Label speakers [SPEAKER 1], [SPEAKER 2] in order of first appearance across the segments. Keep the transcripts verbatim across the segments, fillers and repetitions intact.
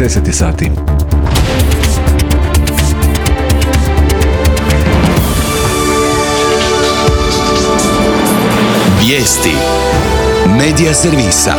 [SPEAKER 1] deset sati.
[SPEAKER 2] Vijesti Medija servisa.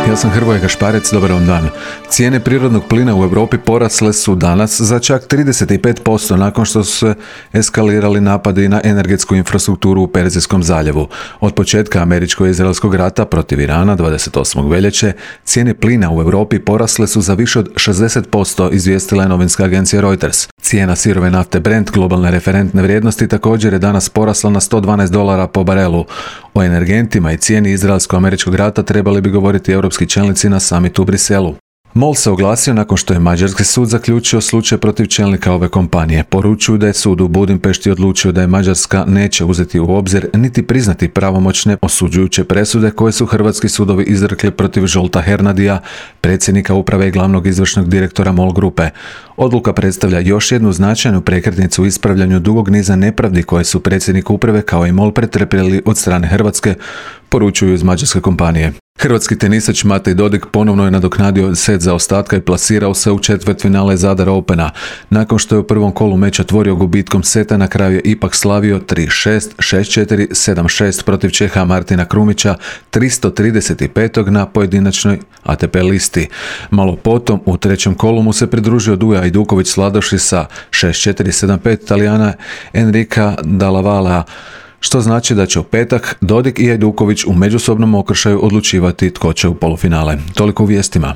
[SPEAKER 1] Ja sam Hrvoje Gašparec, dobar vam dan. Cijene prirodnog plina u Europi porasle su danas za čak trideset pet posto nakon što su se eskalirali napadi na energetsku infrastrukturu u Perzijskom zaljevu. Od početka američko-izraelskog rata protiv Irana dvadeset osmog veljače cijene plina u Europi porasle su za više od šezdeset posto, izvijestila je novinska agencija Reuters. Cijena sirove nafte Brent, globalne referentne vrijednosti, također je danas porasla na sto dvanaest dolara po barelu. O energentima i cijeni izraelsko-američkog rata trebali bi govoriti europski čelnici na samitu u Briselu. MOL se oglasio nakon što je mađarski sud zaključio slučaj protiv čelnika ove kompanije. Poručuju da je sud u Budimpešti odlučio da je Mađarska neće uzeti u obzir niti priznati pravomoćne osuđujuće presude koje su hrvatski sudovi izrekli protiv Zsolta Hernadija, predsjednika uprave i glavnog izvršnog direktora MOL grupe. Odluka predstavlja još jednu značajnu prekretnicu u ispravljanju dugog niza nepravdi koje su predsjednik uprave kao i MOL pretrpjeli od strane Hrvatske, poručuju iz mađarske kompanije. Hrvatski tenisač Matej Dodig ponovno je nadoknadio set zaostatka i plasirao se u četvrtfinale Zadar Opena. Nakon što je u prvom kolu meča otvorio gubitkom seta, na kraju je ipak slavio tri šest, šest četiri, sedam šest protiv Čeha Martina Krumića, tristo trideset pet na pojedinačnoj A T P listi. Malo potom u trećem kolu mu se pridružio Duja Ajduković sladoši sa šest četiri, sedam pet Talijana Enrika Dallavala, što znači da će u petak Dodig i Ajduković u međusobnom okršaju odlučivati tko će u polufinale. Toliko u vijestima.